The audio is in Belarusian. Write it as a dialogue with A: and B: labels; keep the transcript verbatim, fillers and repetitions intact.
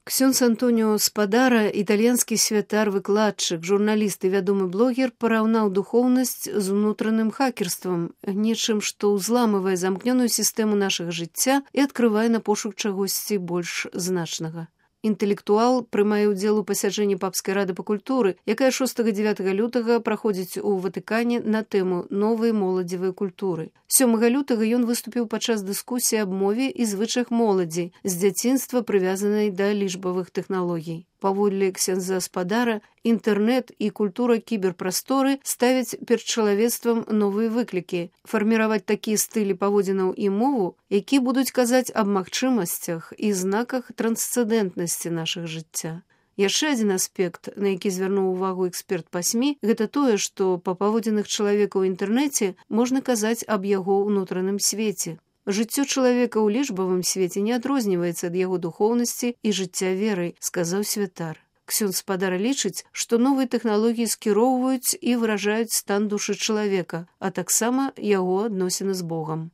A: Ксёндз Антоніо Спадара, італьянскі святар, выкладчык, журналіст і вядомы блогер, параўнаў духоўнасць з унутраным хакерствам, нечым, што ўзламывае замкнёную сістэму нашага жыцця і адкрывае на пошук чагосьці больш значнага. Інтэлектуал прымае ўдзел у пасяджэнні папскай рады па культуры, якая шостага-дзявятага лютага праходзіць у Ватыкане на тэму новай моладзевай культуры. сёмага лютага ён выступіў падчас дыскусіі аб мове і звычаях моладзі з дзяцінства прывязанай да лічбавых тэхналогій. Паводле ксяндза Спадара, інтэрнэт і культура кіберпрасторы ставяць перад чалавецтвам новыя выклікі, фарміраваць такія стылі паводзінаў і мову, які будуць казаць аб магчымасцях і знаках трансцэндэнтнасці нашага жыцця. Яшчэ адзін аспект, на які звярнуў увагу эксперт па СМІ, гэта тое, што па паводзінах чалавека ў інтэрнэце можна казаць аб яго ўнутраным свеце. Жыццё чалавека ў лічбавым свеце не адрозніваецца ад яго духоўнасці і жыцця верай, сказаў святар. Ксёндз Спадара лічыць, што новыя тэхналогіі скіроўваюць і выражаюць стан душы чалавека, а таксама яго адносіны з Богам.